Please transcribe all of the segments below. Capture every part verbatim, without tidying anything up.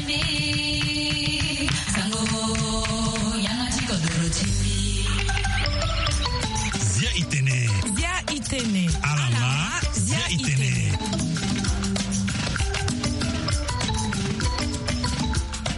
Zia itene. Zia itene. Alama. Zia itene.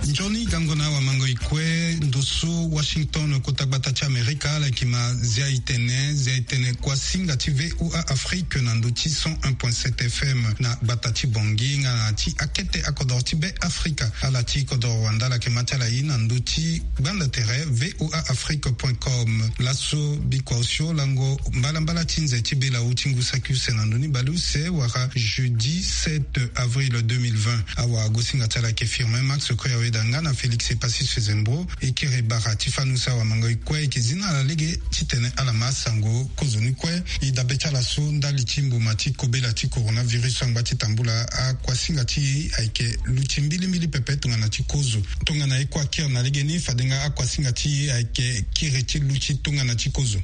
Nzoni gango na awamango ikue ndo so Washington, kota gbata ti Amerika, ala yeke ma Zia itene. Zia itene kuasinga ti VOA Afrique na ndo ti cent un point sept F M na gbata ti Bangui nga na ti akete akodoro ti Be Afrika. Ala ti kodoro wande ala yeke ma ti ala ye na ndo ti gbanda tere VOA Afrique point com. Laso bikua osio lango mbalambala ti nze ti bela ti ngu saki use na ndo ni baleuse wala jeudi sept avril deux mille vingt. Awagosinga ti ala yeke Firmin Max Koyaweda nga na Félix Epassi Sezembro. E kiri bara ti fani use awamango ikue, e yeke zi na ala lege titene ala ma sango kozoni kue. E dabe ti ala so ndali ti mbuma ti kobela ti coronavirus angba ti tambula akuasinga ti e ayeke luti mbilimbili pepe tongana ti kozo. Tongana e kue akiri na legeni, fade nga akuasinga ti e ayeke kiri ti luti tongana ti kozo.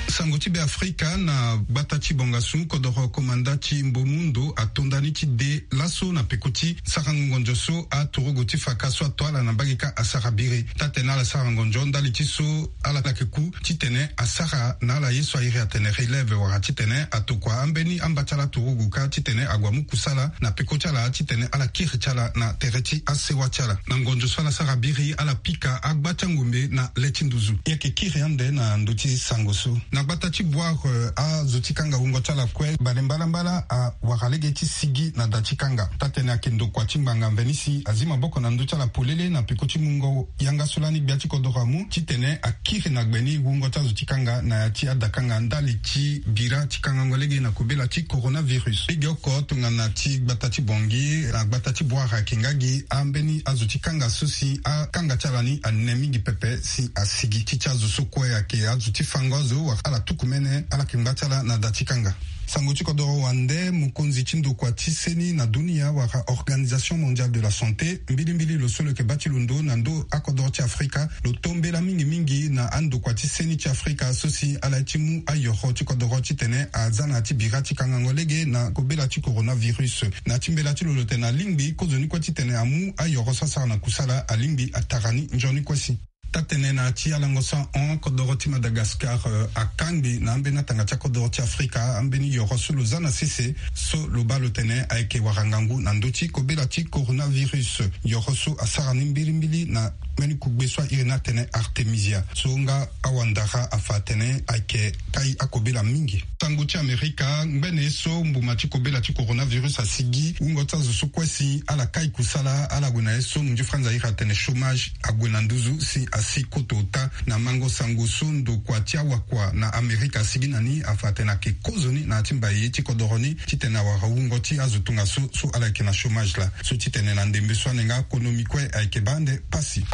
Sango ti Be Afrika na gbata ti Bangassou, kodoro komanda ti Mbomundo ato ndani ti de laso na peko ti sarango ngonzo so aturugu ti faka so ato ala na mbage kâ asara biri. Taa-tene ala sara ngonzo ndali ti so ala yeke ku titene asara na ala ye so a iri atene relève wala titene atokua ambeni amba ti ala turugu kâ titene ague amu kusala na peko ti ala titene ala kiri ti ala na tere ti asewa ti ala. Na ngonzo so ala sara biri, ala pika agba ti angombe na le ti nduzu. E yeke kiri ande na ndö ti sango so. Na gbata ti Bouar, eh, azo ti kanga wungo ti ala kue bale mbalambala awara lege ti sigi na da ti kanga. Taa-tene ayeke ndokua ti ngbanga mveni si azi maboko na ndö ti ala polele na peko ti mungo yanga so lani gbia ti kodoro amu titene akiri na gbe ni wungo ti azo ti kanga na ya ti adakanga ndali ti bira ti kangango lege na kobela ti coronavirus. Lege oko tongana ti gbata ti Bangui na gbata ti Bouar ayeke nga gi ambeni azo ti kanga so si akanga ti ala ni ane mingi pepe si asigi. Ti ti azo so kue ayeke azo ti fango azo wala ala tuku mene, ala yeke ngba ti ala na da ti kanga. Sango ti kodoro wande, mokonzi ti ndokua ti seni na dunia wala Organisation Mondiale de la Santé, mbilimbili lo so lo yeke baa ti londo na ndo akodoro ti Afrika, lo tombela mingi mingi na andokua ti seni ti Afrika so si ala ye ti mu ayoro ti kodoro titene aza na ya ti bira ti kangango lege na kobela ti coronavirus. Na ya ti mbela ti lo lo tene alingbi kozoni kue titene amu ayoro so asara na kusala, alingbi atara ni nzoni kue si. Taa-tene na ya ti alango so ahon, kodoro ti Madagascar, eh, akangbi na ambeni atanga ti akodoro ti Afrika ambeni yoro so lo za na sese, so lo baa lo tene ayeke wara ngangu na ndö ti kobela ti coronavirus. Yoro so asara ni mbilimbili na mbeni kugbe so a iri ni atene Artemisia, so nga awandara afa atene ayeke kai akobela mingi. Sango ti Amerika, ngbene ye so mbuma ti kobela ti coronavirus asigi, wungo ti azo so kue si ala kai kusala, ala gue na ye so munzu franz a iri atene chômage, ague na nduzu si asi koto ota. Na mango sango so ndokua ti awakua na Amerika asigi na ni afa atene ayeke kozoni na ya ti mbaye ti kodoro ni titene awara wungo ti azo tongaso so ala yeke na chômage laa. So titene na ndembe so ane nga konomi kue ayeke baa ande pasi.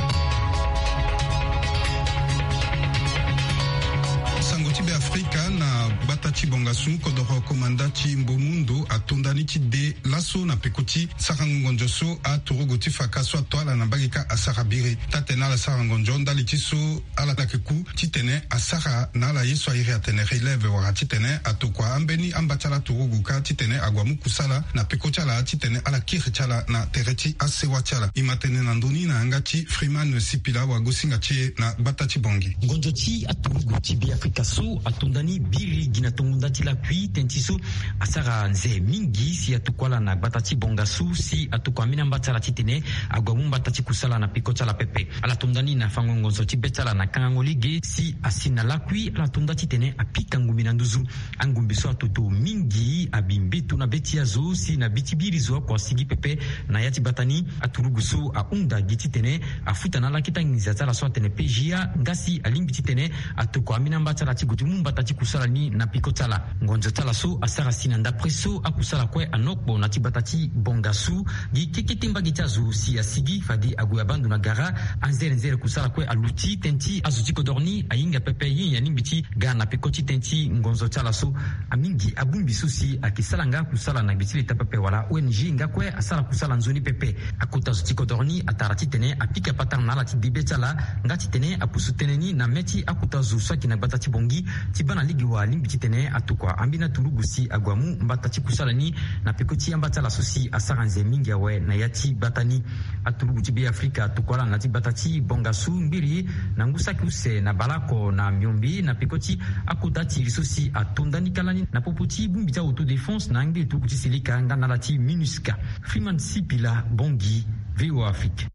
Sango ti Be Afrika na gbata ti Bangassou, kodoro komanda ti Mbomundo ato ndani ti de laso na peko ti sarango ngonzo so aturugu ti faka so ato ala na mbage kâ asara biri. Taa-tene ala sara ngonzo ndali ti so ala yeke ku titene asara na ala ye so a iri atene relève wala titene atokua ambeni amba ti ala turugu kâ titene ague amu kusala na peko ti ala titene ala kiri ti ala na tere ti asewa ti ala. E ma tene na ndö ni na yanga ti Freeman Sipila, wagosinga ti e na gbata ti Bangui. Ngonzo ti aturugu ti Be Afrika so ato ndani biri gi na tongo nda ti lakui tënë ti so asara nze mingi si atokua ala na gbata ti Bangassou si atokua ambeni amba ti ala titene ague amu mbata ti kusala na peko ti ala pepe. Ala to nda ni na fango ngonzo ti be ti ala na kangango lege si asi na lakui, ala to nda titene apika ngumbi na nduzu. Angumbi so atoto mingi abi mbeto na be ti azo si na be ti biri zo oko asigi pepe. Na ya ti gbata ni, aturugu so ahunda gi titene afuta na ala keta nginza ti ala so atene P J A, nga si alingbi titene atokua ambeni amba ti ala ti gue ti mu mbata ti kusala ni na peko ti ala. Ngonzo ti ala so asara si na ndapre so akusala kue anokpo na ti gbata ti Bangassou, gi kekete mbage ti azo si asigi fade ague abaa ndo na gara. Anzere nzere kusala kue aluti tënë ti azo ti kodoro ni ahinga pepe. Ye nyen alingbi ti ga na peko ti tënë ti ngonzo ti ala so? Amingi abongbi so si ayeke sara nga kusala na gbe ti leta pepe wala O N G nga kue asara kusala nzoni pepe. Akota zo ti kodoro ni atara titene apika patara na ala ti de be ti ala, nga titene apusu tënë ni na mê ti akota zo so ayeke na gbata ti Bangui ti Bana lege wa alingbi titene atokua ambeni aturugu si ague amu mbata ti kusala ni na peko ti amba ti ala so si asara nze mingi awe na ya ti gbata ni. Aturugu ti Be Afrika atokua ala na ti gbata ti Bangassou, Mbiri, na ngu saki use na baleoko na miombe na peko ti akota ti iri so si ato ndani kâ lani na popo ti bongbi ti autodéfense na angbi turugu ti Seleka nga na ala ti MINUSCA. Freeman Sipila, Bangui, V O A Afrique.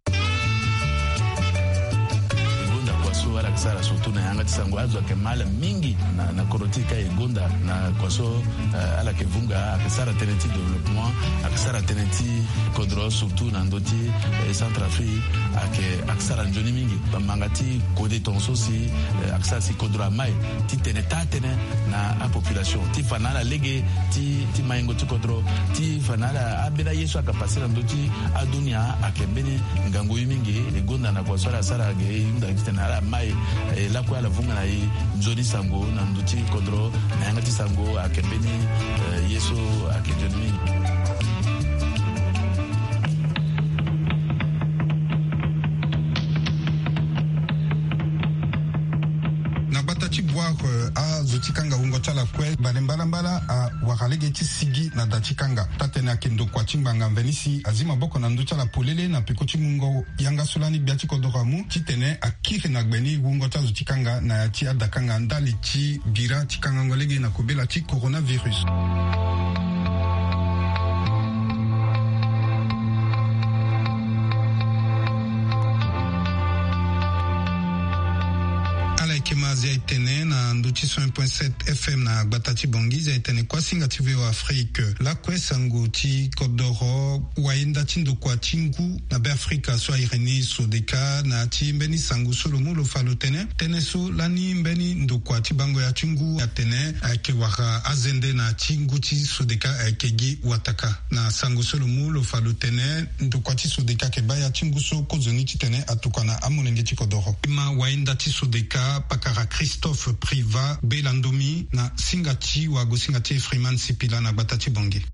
Gonda kua so ala yeke sara surtout na yanga ti sango azo ayeke mal mingi na, na kodro ti e ka e gonda na kua so, eh, ala yeke vunga, ayeke sara tënë ti développement, ayeke sara tënë ti kodro surtout na ndö ti, eh, Centrafrique, ayeke, ayeke sara nzoni mingi. Bamanga ti kode tongaso si, eh, ayeke sara si kodro amai titene taa tënë na apopulation ti fa na ala lege ti, ti maingo ti kodro, ti fa na ala ambeni aye so ayeke pase na ndö ti adunia ayeke mbeni ngangu ye mingi. E gonda na kua so ala sara ge e hunda titene ala mai, eh, lakue ala vunga na e nzoni sango na ndö ti kodro na yanga ti sango ayeke mbeni, eh, ye so ayeke nzoni mingi. Na gbata ti Bouar, eh, azo ti kanga wungo ti ala kue bale mbalambala awara lege ti sigi na da ti kanga. Taa-tënë ayeke ndokua ti ngbanga mveni si azi maboko na ndö ti ala polele na peko ti mungo yanga so lani gbia ti kodoro amu titene akiri na gbe ni wungo ti azo ti kanga na ya ti adakanga ndali ti bira ti kangango lege na kobela ti coronavirus. Ala yeke ma zia etene na ndö ti cent point sept F M na gbata ti Bangui. Zia etene kuâ singa ti V O A Afrique. Lakue sango ti kodoro wayenda ti ndokua ti ngu na Be Afrika so a iri ni Sodeka na ya ti mbeni sango so lo mu lo fa lo tene. Tënë so lani mbeni ndokua ti bango ya ti ngu atene ayeke wara azende na ya ti ngu ti Sodeka ayeke gi wataka. Na sango so lo mu lo fa lo tene ndokua ti Sodeka ayeke baa ya ti ngu so kozoni titene atokua na amolenge ti kodoro. Ima wayenda ti Sodeka pakara Christophe Privat Bela Ndomi na singa ti wagosinga ti Freeman Sipila na gbata ti Bangui.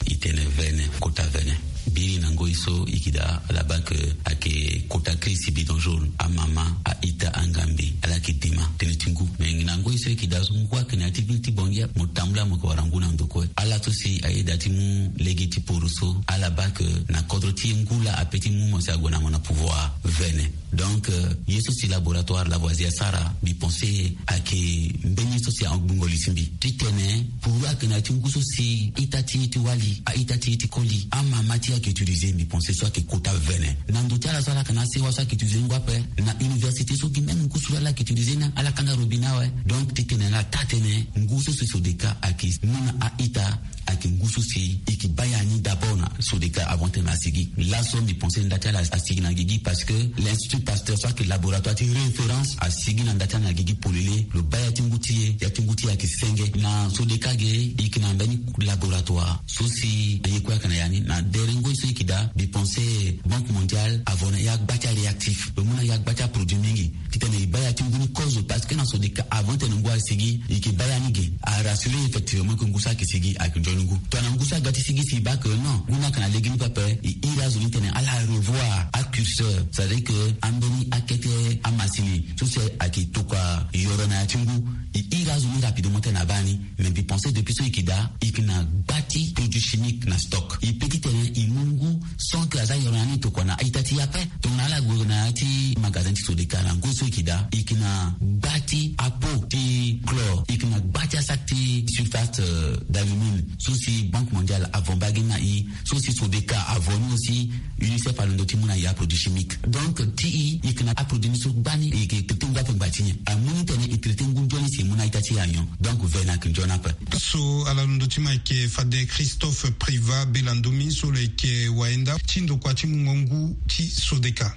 E tene vene, kota vene. Biri na ngoi so e yeke daa ala baa ke ayeke kota crise bidon jaune. Amama, a-ita, angambe, ala yeke dema tënë ti ngu. Me na ngoi so e yeke daa so ngu ayeke na ya ti ville ti Bangui, mo tambula mo yeke wara ngu na ndo kue. Ala so si ayeda ti mu lege ti poro so, ala baa ke na kodro ti e ngu laa ape ti mu mo si ague na mo na pouvoir vene. Donc, euh, ye so si laboratoire Lavoisier asara, mbi pense ayeke mbeni ye so si agbungo li ti mbi. Titene puru ayeke na ya ti ngu so si ita ti e ti wali, a-ita ti e ti koli, amama ti e ayeke utiliser, mbi pense so ayeke kota vene. Na ndo ti ala so ala yeke na asewa so ayeke utiliser ngu ape. Na université so gi même ngu so ala yeke utiliser ni ala kanga robinet awe. Donc titene ala taa tënë ngu so si Sodeka ayeke mu na a-ita, ayeke ngu so si e yeke baa ya ni d'abord na Sodeka avant tene asigi. Laso mbi pense nda ti ala asigi na gigi parce que l'Institut Pasteur so ayeke laboratoire ti référence asigi na nda ti ala na gigi polele. Lo baa ya ti ngu ti e, ya ti ngu ti e ayeke senge. Na Sodeka ge e yeke na mbeni laboratoire so si na ye kue ayeke na ya ni. Na dere ngoi so e yeke daa, mbi pense Banque Mondiale avo na ya gba ti aréactif, lo mu na ya gba ti aproduit mingi. Titene e baa ya ti ngu ni kozo parce que na Sodeka avant tene ngu asigi e yeke baa ya ni ge. Arassurer effectivement ke ngu so ayeke sigi ayeke nzoni ngu. Tongana ngu so aga ti sigi si e baa ke non, ngu ni ayeke na lege ni pepe, e iri azo ni titene ala revoir acurseur, c'est-à-dire ke ambeni akete amasini so si ayeke tokua yoro na ya ti ngu, e iri azo ni rapidement titene abaa ni. Mais mbi pense depuis so e yeke daa e yeke na gba ti produit chimique na stock. E peut titene e mu ngu sans que aza yoro na ni tokua na a-ita ti e ape. Tongana ala gue na ya ti magasin ti Sodeka na ngoi so e yeke daa, e yeke na gba ti apo ti chlore, e yeke na gba ti asac ti sulfate, euh, d'alumine so si Banque Mondiale avo mbage ni na e, so si Sodeka avo ni aussi, UNICEF alondo ti mu na e aproduit chimique. Donc ti e e yeke na aproduit ni so gbani e yeke traité ngu ape ngba ti nyen. Amu ni titene e traité ngu nzoni si e mu na a-ita ti e anyon. Donc vene ayeke nzoni ape. So ala londo ti ma ayeke fade Christophe Privat Bela Ndomi so lo yeke wayenda ti ndokua ti mungo ngu ti Sodeka.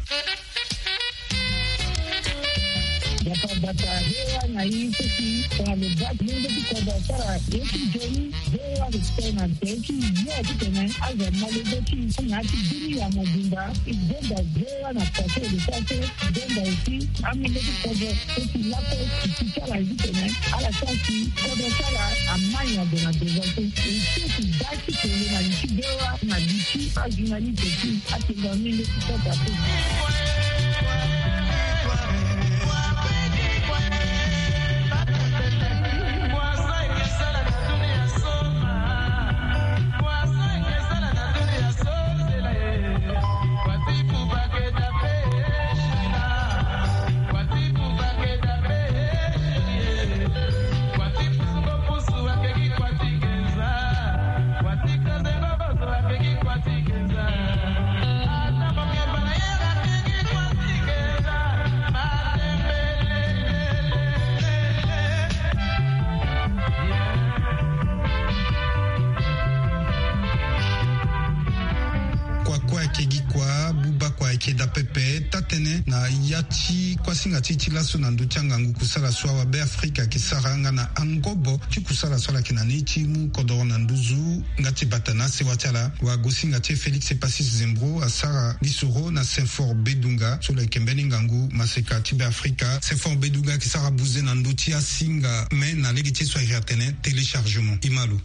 Bata bata, V O A na i so si tongana lo baa ti mungo ti kodro asara ye ti nzoni, V O A respect na tere ti yo titene azo amolenge ti i na ya ti bini ya mobimba. E gonda V O A na kua so e yeke sara so. Gonda aussi amolenge ti kodro so si lakue e si ti ala ye titene ala sara si kodro ti ala amai na gue na devant so. E so si baa ti tene na li ti V O A na li ti ajournaliste ti atene amolenge ti kodro ape. Ayeke gi kua buba kua ayeke daa pepe taa-tënë na ya ti kuasinga ti e ti laso na ndö ti angangu kusala so awabe afrika ayeke sara nga na angobo ti kusala so ala yeke na ni ti mu kodoro na nduzu. Nga ti bata na asewa ti ala, wagosinga ti e Félix Epacis Zembro asara lisoro na Saint-Fort Bedunga so lo yeke mbeni ngangu maseka ti Beafrika. Saint-Fort Bedunga ayeke sara buze na ndö ti asinga me na lege ti e so ayeke atene téléchargement. Imalo.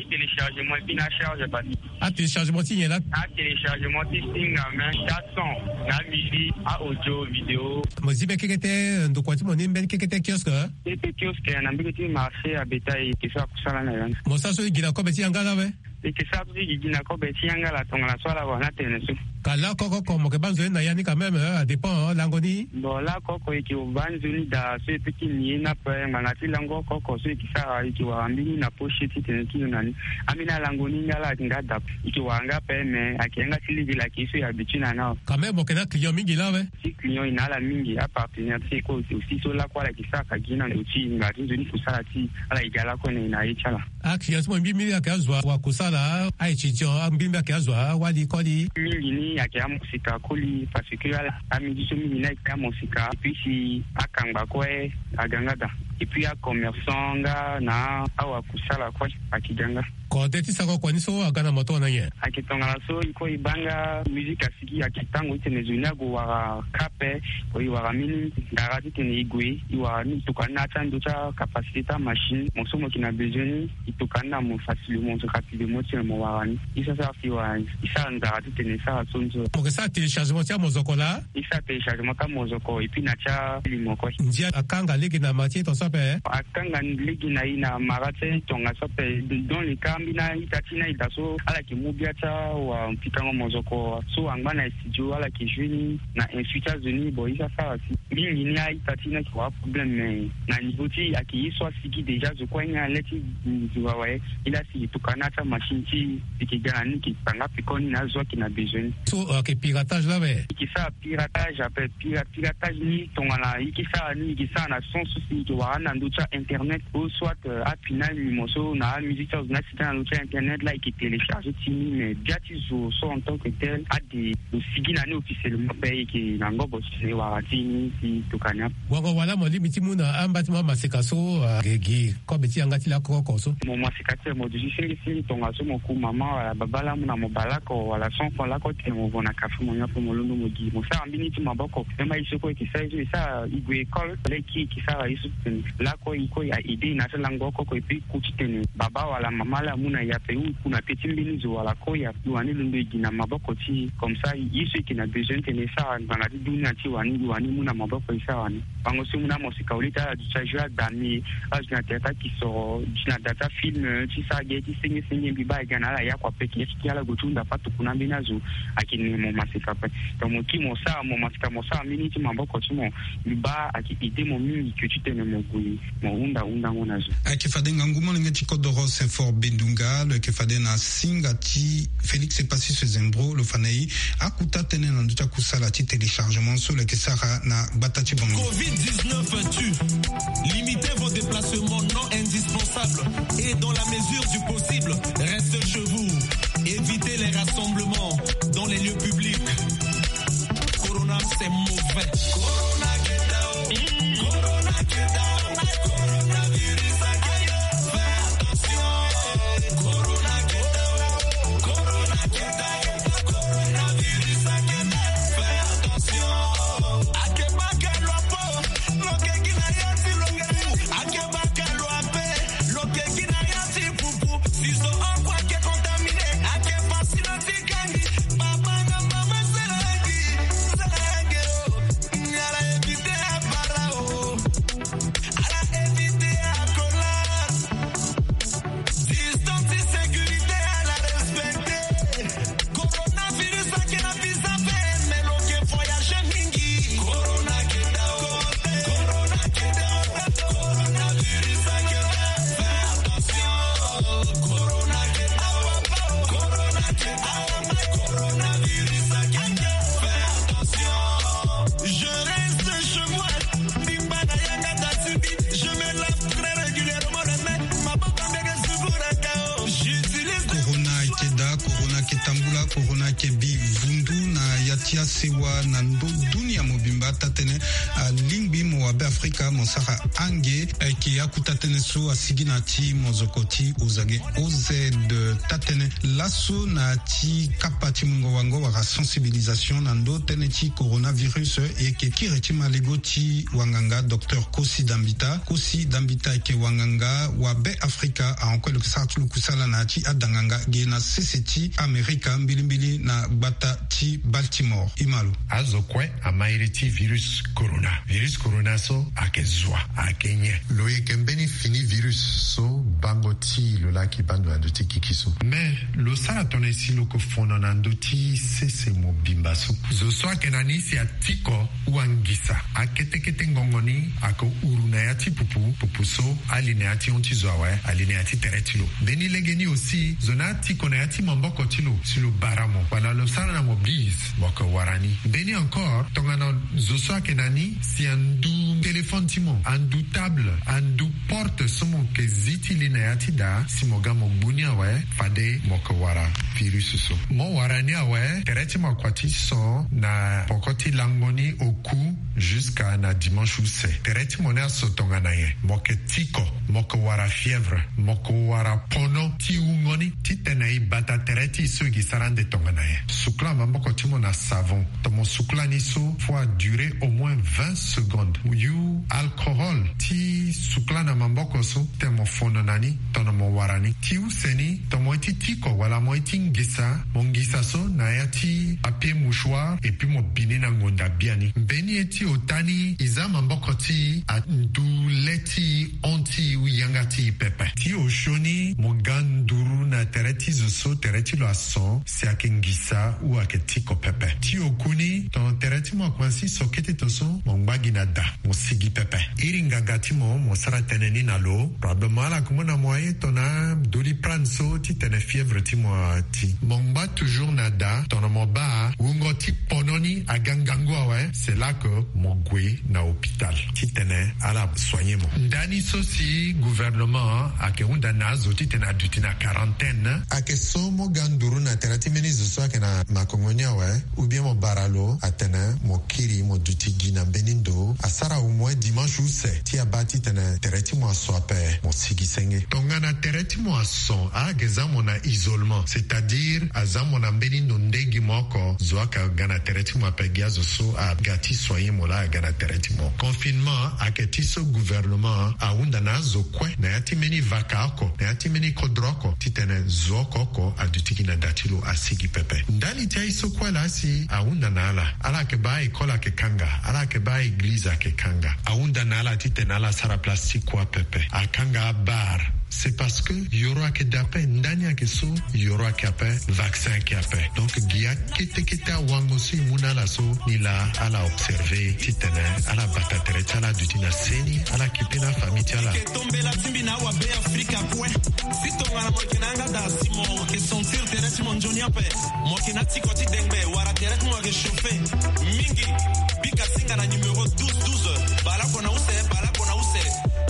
Téléchargement et puis na charge bati. Atéléchargement ti nyen laa? Atéléchargement ti singa me, ti ason, na musique, a audio, vidéo. Mo zi mbeni kekete ndokua ti mo ni mbeni kekete kiosque? Kekete kiosque na mbege ti marché à bétail, ke so akusala na ya ni. Mo sara so e gi na kobe ti yanga laa awe? E ke sara so e gi na kobe ti yanga laa tongana so ala wara ni atene so. Ka laoko oko mo ke baa nzoni na ya ni quand même, adépend lango ni. Bon, laoko oko e ke baa nzoni daa so e pe ti ni ye ni ape ngbanga ti lango oko oko so e ke sara e ke wara mbeni na poche ti tene ti lo na ni. Ambeni alango ni nga laa ayeke nga daa. E ke wara nga ape me ayeke yanga ti lege laa ayeke ye so e habitue na ni awe. Quand même mo yeke na aclient mingi laa awe? Ti client e na ala mingi, apartenaire ti e kue aussi so laoko ala yeke sara ka gi na ndo ti e ngbanga ti nzoni kusala ti ala e ga laoko na e na ye ti ala. Aclient ti mo mbi mbi ayeke azo wa kusala, a-étudiant mbi mbi ayeke azo awali koli? Mingi ni ayeke amosika koli parce que ala, amidi so mingi ni ayeke amosika et puis si akangba kue aga nga daa. Et puis acommerçant nga na awakusala kue ayeke ga nga. Kode ti sako kua ni so aga na mo tongana nyen? Ayeke tongana so e kue e baa nga musique asigi ayeke tango ti tene zo ni ague wara ka ape. Ko e wara mbeni ndara ti tene e gue e wara ni e tokua ni na ya ti ando ti acapacité ti amachine. Mo so mo yeke na besoin ni e tokua ni na mo facilement, rapidement ti tene mo wara ni. E sara sara si wara ni e sara ndara ti tene e sara so ni so. Mo yeke sara téléchargement ti amozoko laa? E sara téléchargement ti amozoko et puis na ti alimo kue. Ndia akanga lege na mara ti e tongaso ape? Akanga lege na e na mara ti e tongaso ape. Dans le cas ambeni a-ita ti ni a-ita so ala yeke mu bia ti awapikango mozoko so angba na studio ala yeke joue ni na insu ti azo ni. Bon e sara sara si mingi ni a-ita ti ni ayeke wara problème mais na niveau ti e ayeke ye so asigi déjà zo kue ni na le ti zo awe. E laa si e tokua ni na ya ti amachine ti e e yeke ga na ni e yeke tanga peko ni na azo ayeke na besoin ni. So ayeke piratage laa awe? E yeke sara piratage ape. Pira piratage ni tongana e yeke sara ni e yeke sara na sens so si e yeke wara ni na ndö ti a-internet ou soit apinal ni mo so na amusique ti azo ni asigi na ndö ti a-internet laa e yeke télécharger ti ni mais bia ti zo so en tant que tel ade lo sigi na ni officiellement ape e yeke na ngobo ti tene e wara ti ni si tokua ni ape. Wango wala mo lingbi ti mu na amba ti mo amaseka so ayeke gi kobe ti yanga ti laoko oko so? Mo maseka ti tene mo duti singisingi tongaso mo ku mama wala baba laa amu na mo baleoko wala son kua laoko ti tene mo vo na kafe mo nyon ape mo londo mo gi mo sara mbeni ti maboko. Même aye so kue e yeke sara ye so e sara e gue école laa e kiri e yeke sara ye so ti tene laoko e kue a-aider e na ya ti lango oko oko et puis e ku ti tene baba wala mama laa amu na e ape ou e ku na peti mbeni zo wala koi ape e wani londo e gi na maboko ti e. Comme ça ye so e yeke na besoin ti tene e sara ngbanga ti dunia ti e wani e wani mu na maboko e sara wani. Bango so e mu na amoseka au lieu ti ala duti ajoue adame azo na théâtre akisoro duti na da ti afilm ti sara ge ti senge senge mbi baa e ga na ala ya kua peke. Ala gue ti hunda ape atokua na ambeni azo. Ayeke ne mo maseka ape. Donc mo kiri mo sara mo maseka mo sara mbeni ti maboko ti mo. Mbi baa ayeke aider mo mingi ke ti tene mo gue mo hunda hundango na zo. Ayeke fade ngangu molenge ti kodoro Saint-Fort Bedunga lo yeke fade na singa ti Félix Epacis Zembro lo fa na e akuta tënë na ndö ti akusala ti téléchargement so lo yeke sara na gbata ti bango. Covid dix-neuf tue. Limitez vos déplacements non indispensables et dans la mesure du possible, restez chez vous. Évitez les rassemblements dans les lieux publics. Corona, c'est mauvais. Corona, get down. Corona, get down. Coronavirus, I get down. Fais attention. Corona, get down. Corona, get down. Coronavirus, I get down. Fais attention. Ake baka lua po. Lo ke gi na ya ti lo nge. Ake baka lua pe. Lo ke gi na ya ti pupu. Si zo oko ake contaminé. Ake pasi na ti kangi. Papa na mama salangi. Salangi o. Ngala e Corona ayeke bi vundu na ya ti asewa na ndo dunia mobimba. Taa-tënë alingbi mo wa Be Afrika mo sara ange. Ayeke akuta tënë so asigi na ti mozoko ti Ozage O Z. Taa-tënë laso na ti kapa ti mungo wango wala sensibilisation na ndo tënë ti coronavirus, e yeke kiri ti malego ti wanganga docteur Kosi Dambita. Kosi Dambita ayeke wanganga wa Be Afrika, ahon kue lo yeke sara ti lo kusala na ya ti adanganga ge na sese ti Amerika, mbilimbili na gbata ti Baltimore. E ma lo. Azo kue ama iri ti virus corona. Virus corona so ayeke zo wa, ayeke nyen? Lo yeke mbeni fini virus so bango ti lo laki baa ndo na ndö ti gigi so. Me lo sara tongana si lo yeke fono na ndö ti sese mobimba so. Zo so ayeke na ni si atiko wangisa. Akete kete ngongo ni ayeke uru na ya ti pupu, pupu so ali na ya ti hon ti zo awe, ali na ya ti tere ti lo. Mbeni legeni aussi, zo ni atiko na ya ti maboko ti lo si lo bara mo wala lo sara na mo bise, mo yeke wara ni. Mbeni encore, tongana zo so ayeke na ni si andu téléphone ti mo, andu table, andu porte so mo yeke zi ti li na ya ti daa, si mo ga mo gbu ni awe, fade mo yeke wara virus so. Mo wara ni awe, tere ti mo akua ti son na poko ti lango ni oku jusqu'à na dimanche use. Tere ti mo ni aso tongana nyen? Mo yeke tiko, mo yeke wara fièvre, mo yeke wara pono ti wungo ni, titene e bata tere ti e so e gi sara ande tongana nyen? Sukula maboko ti mo na savon. Tongana mo sukula ni so, faut a durer au moins vingt secondes. Yu alcohol ti sukula na maboko so, titene mo fono na ni tongana mo wara ni. Ti use ni, tongana mo ye ti tiko wala mo ye ti ngisa, mo ngisa so na ya ti papier mouchoir, et puis mo bi ni na ngonda biani. Mbeni ye ti ota ni, e za maboko ti e andu le ti e, hon ti e, yanga ti e pepe. Ti osio ni, mo ga nduru na tere ti zo so tere ti lo ason, si ayeke ngisa ou ayeke tiko pepe. Ti oku ni, tongana tere ti mo akomanse so kete to so, mo ngba gi na da, mo sigi pepe. Iri nganga ti mo, mo sara tënë ni na lo. Probablement ala yeke mu na mo aye tongana Doliprane so titene fièvre ti mo ati. Mo ngba toujours na da, tongana mo baa wungo ti pono ni aga ngangu awe, c'est là que mo gue na hôpital titene ala soigner mo. Ndani so si gouvernement ayeke hunda na azo titene aduti na quarantaine. Ayeke so mo ga nduru na tere ti mbeni zo so ayeke na makongo ni awe, ou bien mo bara lo atene mo kiri mo duti gi na mbeni ndo. Asara au moins dimanche use ti abaa titene tere ti mo aso ape, mo sigi senge. Tongana tere ti mo ason, ayeke za mo na isolement, c'est-à-dire aza mo na mbeni ndo nde gi mo oko, zo ayeke ga na tere ti mo ape, gi azo so aga ti soigner mo laa aga na tere ti mo. Confinement ayeke ti so gouvernement ahunda na azo kue na ya ti mbeni vaka oko, na ya ti mbeni kodro oko, titene zo oko oko aduti gi na da ti lo, asigi pepe. Ndali ti aye so kue laa si ahunda na ala, ala yeke baa école ayeke kanga, ala yeke baa église ayeke kanga. Ahunda na ala titene ala sara place ti kua pepe. Akanga abar. C'est parce que yoro ayeke da ape, ndani ayeke so, yoro ayeke ape, vaccin ayeke ape. Donc gi akete kete awango so e mu na ala so, ni laa ala observer titene ala bata tere ti ala aduti na seni, ala kipe na afamille ti ala. Tombela ti mbi na awa Be Afrika kue. Si tongana mo yeke na yanga daa si mo yeke sentir tere ti mo nzoni ape, mo yeke na tiko ti dengbe wala tere ti mo yeke chauffer mingi, bika singa na numéro douze douze. Bale oko na use, bale oko na use.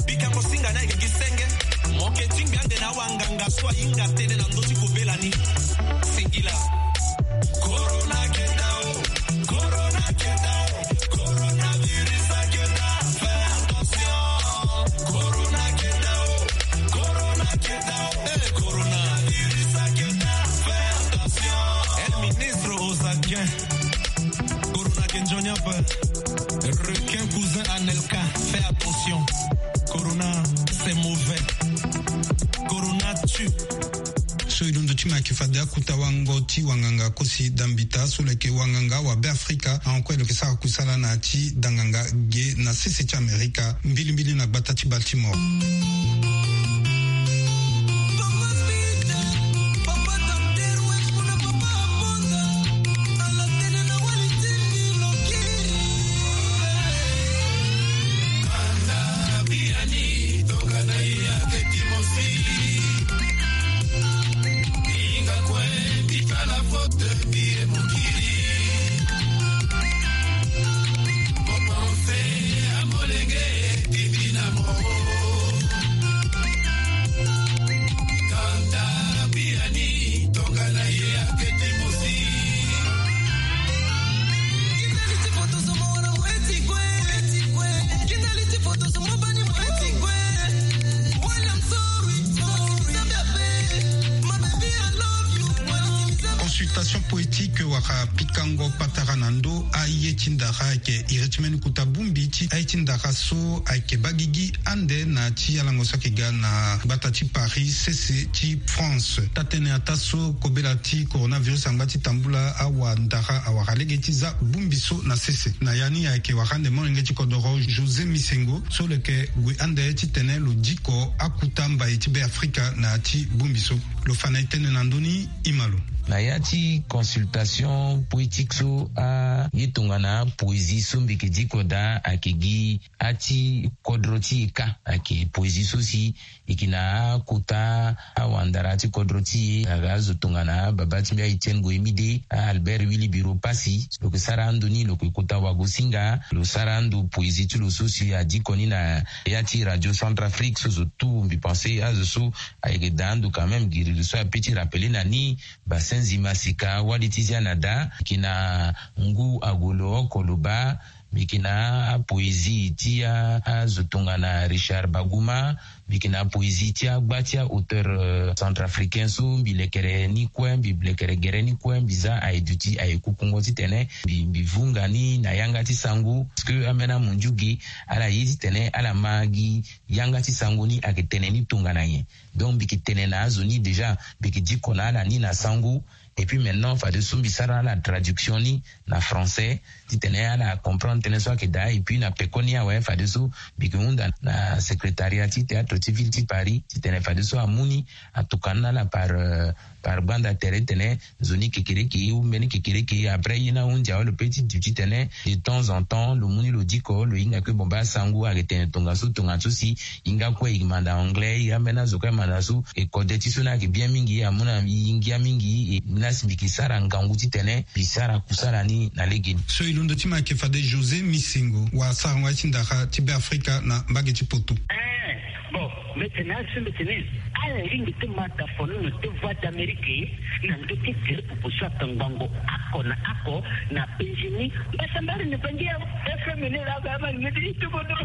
Bika mo singa ni ayeke gi senge. Mo yeke tingbi ande na awanganga so ahinga tënë na ndö ti kobela ni. Singila. Corona kenda o, corona kenda o, coronavirus akenda, fais attention. Corona kenda o, corona kenda o, eh, coronavirus akenda, fais attention. El ministre Ozaguin. Corona ke nzoni ape. Requin cousin Anelka, fais attention. Corona, c'est mauvais. Corona tue. So e londo ti mo ayeke fade akuta wango ti wanganga Kosi Dambita so lo yeke wanganga wa Be Afrika, ahon kue lo yeke sara kusala na ya ti danganga ge na sese ti Amerika, mbilimbili na gbata ti Baltimore. Ike wara pikango patara na ndo aye ti ndara ayeke iri ti mbeni kota bongbi ti aye ti ndara so ayeke baa gigi ande na ti alango so ayeke ga na gbata ti Paris sese ti France. Taa-tënë ataa so kobela ti coronavirus angba ti tambula awandara awara lege ti za bongbi so na sese. Na ya ni ayeke wara ande molenge ti kodoro José Misengo so lo yeke gue ande titene lo diko akota mbai ti Beafrika na ya ti bongbi so. Lo fa na e tënë na ndö ni, e ma lo. Na ya ti consultation poétique so aye tongana poésie so mbi yeke diko daa ayeke gi ati kodro ti e kâ. Ayeke poésie so si e yeke na akota awandara ti kodro ti e aga azo tongana baba ti mbi a-Etienne Goyemide, a-Albert Willy Biro Passy. Lo yeke sara ando ni lo yeke kota wagosinga lo sara ando poésie ti lo so si adiko ni na ya ti Radio Centrafrique so zo tout mbi pense azo so ayeke daa ando quand même giri lo so ape ti rappeler na ni Basenzi Masika wali ti zia na daa. Mbi yeke na ngu agolo oko lo baa. Mbi yeke na apoésie ti azo tongana Richard Baguma. Mbi yeke na apoésie ti agba ti aauteur centrafricain so mbi lekere ni kue mbi lekere gere ni kue mbi za aye duti aye kukungo titene mbi mbi vunga ni na yanga ti sango parce que ambeni amundiu ge ala ye titene ala ma gi yanga ti sango ni ayeke tene ni tongana nyen. Donc mbi yeke tene na azo ni déjà mbi yeke diko na ala ni na sango. Et puis maintenant fadeso mbi sara ala traduction ni na français titene ala comprendre tënë so ayeke daa. Et puis na peko ni awe fadeso mbi yeke hunda na secrétariat ti théâtre ti ville ti Paris titene fadeso amu ni atokua ni na ala par par gbanda tere titene nzoni kekereke ou mbeni kekereke après ye ni ahunzi awe lo pe ti duti titene de temps en temps lo mu ni lo diko lo hinga kue bon baa sango ayeke tene tongaso tongaso si. Hinga kue e manda anglais e ambeni azo kue amanda so e kode ti so ni ayeke bien mingi amu na e ngia mingi e ni asi mbi yeke sara ngangu titene mbi sara kusala ni na legeni. So e londo ti ma ayeke fade José Misengo wa sarango aye ti ndara ti Beafrika na mbage ti poto. Bon, mbi tene azo so mbi tene ala lingbi ti ma dafonono ti Voix d'Amérique na ndö ti tere popo so atangbango oko na oko na penzi ni. Mbasambari ni bangi ya F M ni laa ba ma lingbi ti tukudu.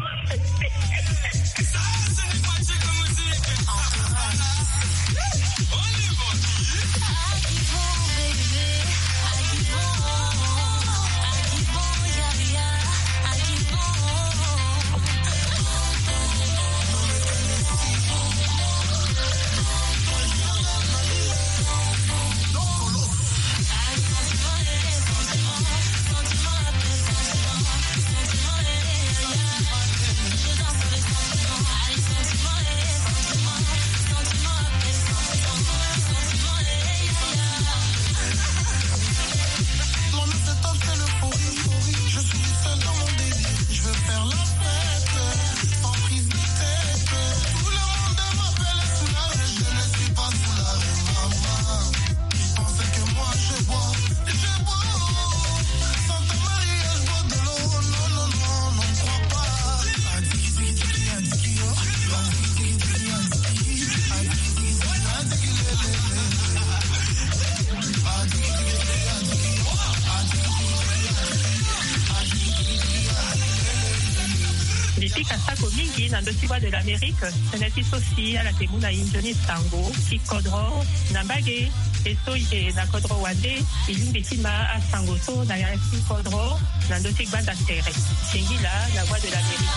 Mbi pika sako mingi na ndö ti Voix de l'Amérique. Tënë ti so si ala yeke mu na e nzoni sango ti kodro na mbage. E so e yeke na kodro wande e lingbi ti ma asango so na ya ti kodro na ndö ti gbanda tere. Singila na Voix de l'Amérique.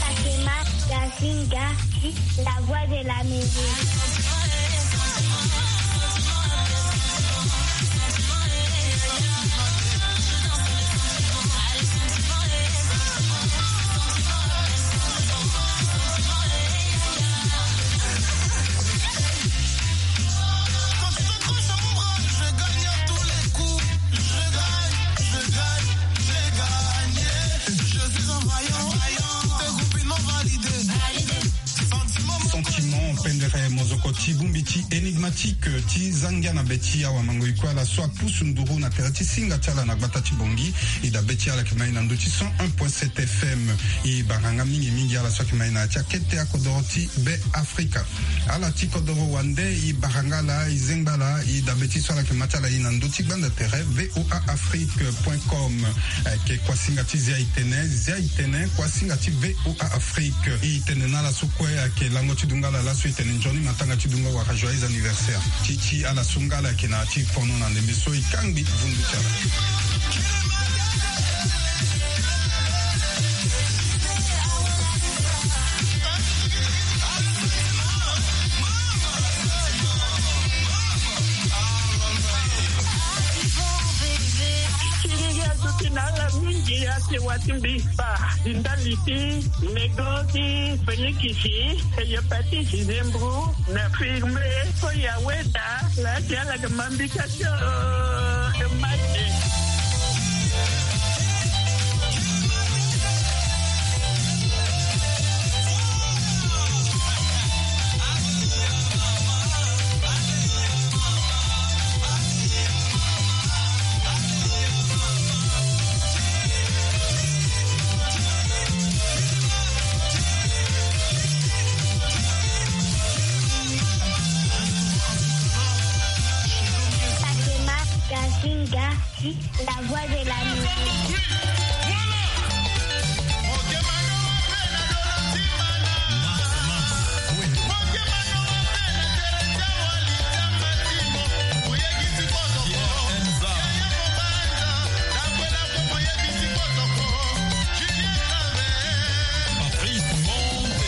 Fatima Yasinga, la voix de la musique. Sentiment pendere mozoko. Ti bongbi ti Énigmatique ti za ngia na be ti awamango-e kue ala so apusu nduru na tere ti singa ti ala na gbata ti Bangui. E dabe ti ala yeke ma e na ndö ti cent un point sept F M. E bara nga mingi mingi ala so ayeke ma e na ya ti akete akodoro ti Be Afrika. Ala ti kodoro wande, e bara nga ala, e zengba ala. E dabe ti so ala yeke ma ti ala e na ndö ti gbanda tere V O A Afrique point com. Ayeke kuasinga ti Zia Itene, Zia Itene, kuasinga ti V O A Afrique. E tene na ala so kue ayeke lango ti dungala laso, e tene nzoni matanga ti dunga wala joyeux anniversaire. Ti ti ala so nga ala yeke na ya ti fono na ndembe so, e kangbi vundu ti ala. Ti ngia duti na ala mingi, ya ti wa ti mbi fa ti ndali ti nego ti felikisi, hepatite, zembro na firme. So ya weda la ti ala ga mambika ti o mati. Fatima Kazinga, la voix de la musique. Patrice Monde.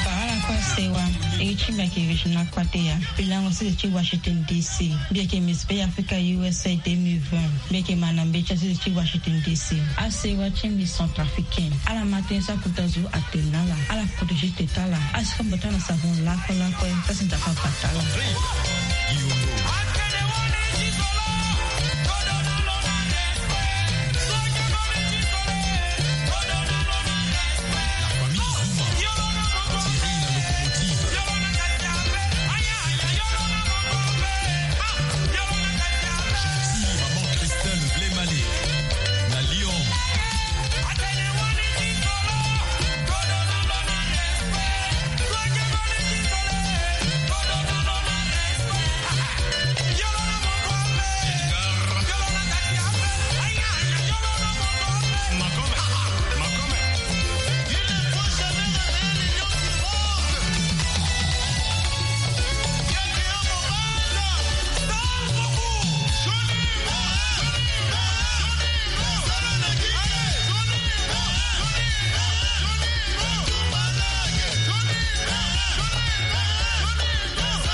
Ala kue asewa. E ti mbi ayeke Regina Kwateya. Mbi lango sese ti Washington D C. Mbi yeke Miss Bay Africa U S A deux mille vingt. Mbi yeke ma na mbeti asese ti Washington D C. Asewa ti mbi Centrafricaine. Ala ma tënë so akota zo atene na ala. Ala protégé tete ala. Asika mbote ala na savon lakue lakue. Sa si nzapa abata ala.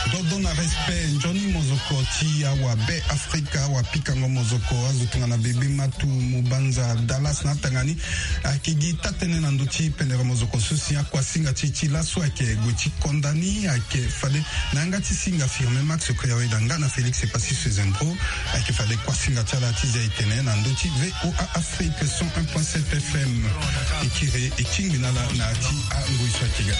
Dodo na respect, nzoni mozoko ti awa Be Afrika, awa pikango mozoko, azo tongana Bebe Matu, Mubanza, Dallas na atanga ni. Ayeke gi taa-tënë na ndö ti pendere mozoko so si akuasinga ti e ti laso ayeke gue ti konda ni, ayeke fade na yanga ti singa Firmin Max Koyaweda nga na Félix Epassi Sezendro. Ayeke fade kuasinga ti ala ti zia e tene na ndö ti V O A Afrique cent un point sept F M. E kiri e tingbi na ala na ya ti angoi so ayeke ga.